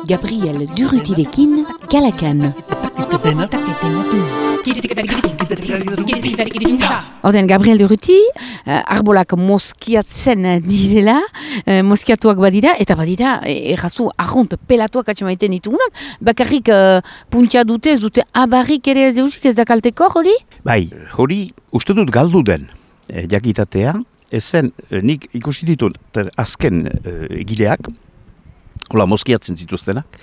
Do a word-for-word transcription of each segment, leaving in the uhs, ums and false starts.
Gabriel Durrutirekin, Kalakan. Orden, Gabriel Durruti, uh, arbolak moskiatzen direla, uh, moskiatuak badira, eta badira, errazu, arrunt, pelatuak atxemaiten ditugunak, bakarrik uh, puntxa dute, ez dute abarrik ere ez deusik ez da kalteko, hori? Bai, hori uste dut galdu den eh, jakitatea, ezen eh, nik ikusi ditut azken eh, egileak, hola moskiatzen zituztenak,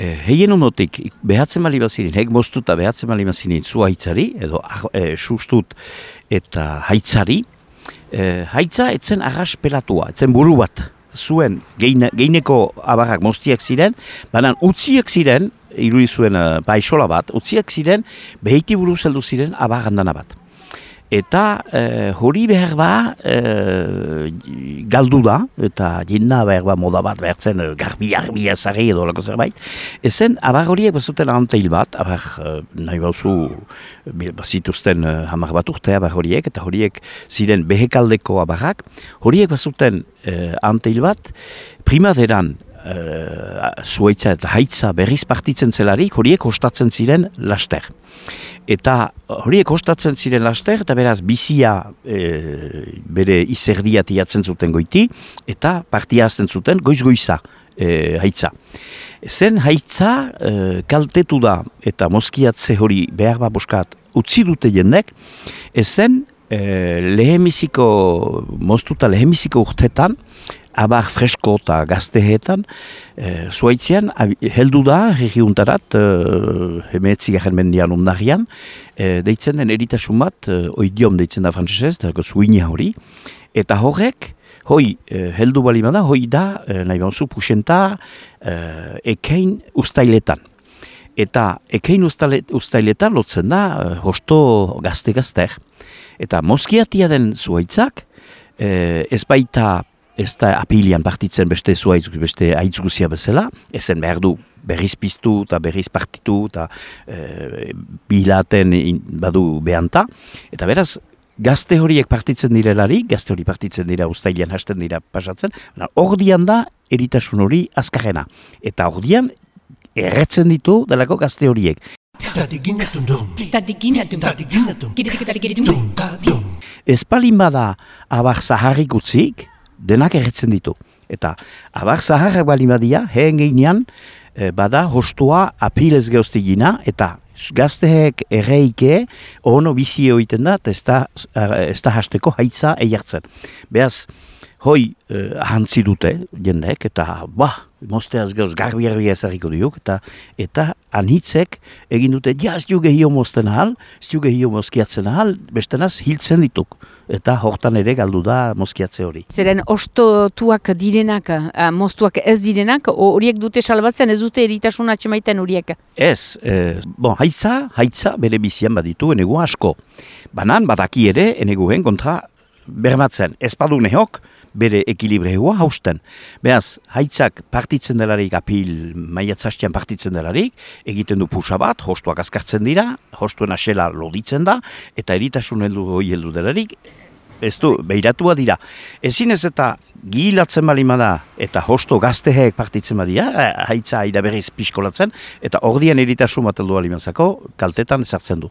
Eh, heien honotik, behatzen bali bazirin, hek moztuta behatzen bali bazirin zu haitzari, edo eh, sustut eta haitzari, eh, haitza etzen arras pelatua, etzen buru bat, zuen geine, geineko abarrak moztiak ziren, baina utziak ziren, irudi zuen uh, paisola bat, utziak ziren, beheiti buru zeldu ziren abarrandana bat. Eta eh, hori behar ba eh, galdu da, eta jena behar ba moda bat behartzen garbi-garbi ezari edo lako zerbait. Ezen, abar horiek bazuten anteil bat, abar eh, nahi bauzu bazituzten eh, hamar bat urte abar horiek, eta horiek ziren behekaldeko abarrak, horiek bazuten eh, anteil bat, primaderan Uh, zuaitza eta haitza berriz partitzen zelarik, horiek ostatzen ziren laster. Eta horiek ostatzen ziren laster, eta beraz bizia e, bere izerdia tiatzen zuten goiti, eta partia azten zuten goiz-goiza e, haitza. Zen haitza e, kaltetu da, eta moskiatze hori behar baboskat utzi dute jendek, ezen e, lehemiziko, moztuta lehemiziko urtetan, abar fresko eta gaztehetan, e, zuaitzean, heldu da, herriuntarat, e, hemeetzi garen mendian ondarian, e, deitzen den eritasun bat, e, oidiom deitzen da frantzesez, eta zuinia hori, eta horrek, hoi, e, heldu balimada, hoi da, e, nahi banzu, pusenta, e, ekein ustailetan. Eta ekein ustailetan lotzen da, e, hosto gazte-gazter. Eta moskiatia den zuaitzak, e, ez baita, ez da apilian partitzen beste zuaitz, beste aitzguzia bezala, ezen behar du berriz piztu eta berriz partitu eta e, bilaten badu behanta. Eta beraz, gazte horiek partitzen direlari, gazte hori partitzen dira ustailean hasten dira pasatzen, ordian da eritasun hori azkarrena. Eta ordian erretzen ditu delako gazte horiek. Ez palin bada abar zaharrik utzik, denak erretzen ditu. Eta abar zaharrak bali badia, heen geinean, e, bada hostua apilez geostigina, eta gazteek erreike, ono bizi egiten da, eta ez da hasteko haitza eiartzen. Beaz, hoi eh, ahantzi dute jendek, eta ba, mozteaz gauz garbi-garbi ezarriko diuk, eta eta anitzek egin dute, ja, ez duge hio mozten ahal, ez duge hio mozkiatzen ahal, bestenaz hiltzen dituk. Eta hortan ere galdu da mozkiatze hori. Zeren ostotuak direnak, moztuak ez direnak, horiek dute salbatzen, ez dute eritasun atxemaiten horiek? Ez, eh, bon, haitza, haitza bere bizian baditu enegu asko. Banan badaki ere eneguen kontra bermatzen. Ez badu nehok, bere ekilibreua hausten. Beaz, haitzak partitzen delarik, apil maiatzastian partitzen delarik, egiten du pusa bat, hostuak azkartzen dira, hostuen asela loditzen da, eta eritasun heldu hoi heldu delarik, ez du, behiratua dira. Ezin ez eta gilatzen balimada eta hosto gazteheek partitzen badia, haitza aida berriz piskolatzen, eta ordian eritasun bat heldu balimazako, kaltetan ezartzen du.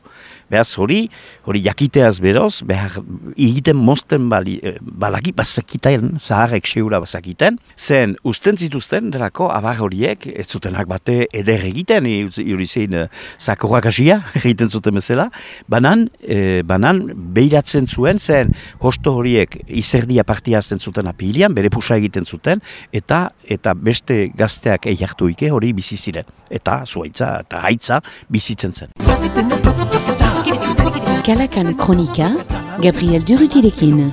Beaz, hori, hori jakiteaz beroz, behar egiten mozten bali, balaki bazakiten, zaharrek seura bazakiten, zen usten zituzten, delako abar horiek, ez zutenak bate eder egiten, hori zein zakorrak asia, egiten zuten bezala, banan, e, banan behiratzen zuen, zen hosto horiek izerdia partiazten zuten apilian, bere pusa egiten zuten, eta eta beste gazteak eiartu ike hori bizi ziren. Eta zuaitza eta haitza bizitzen zen. Kalakan Kronika, Gabriel Durrutirekin.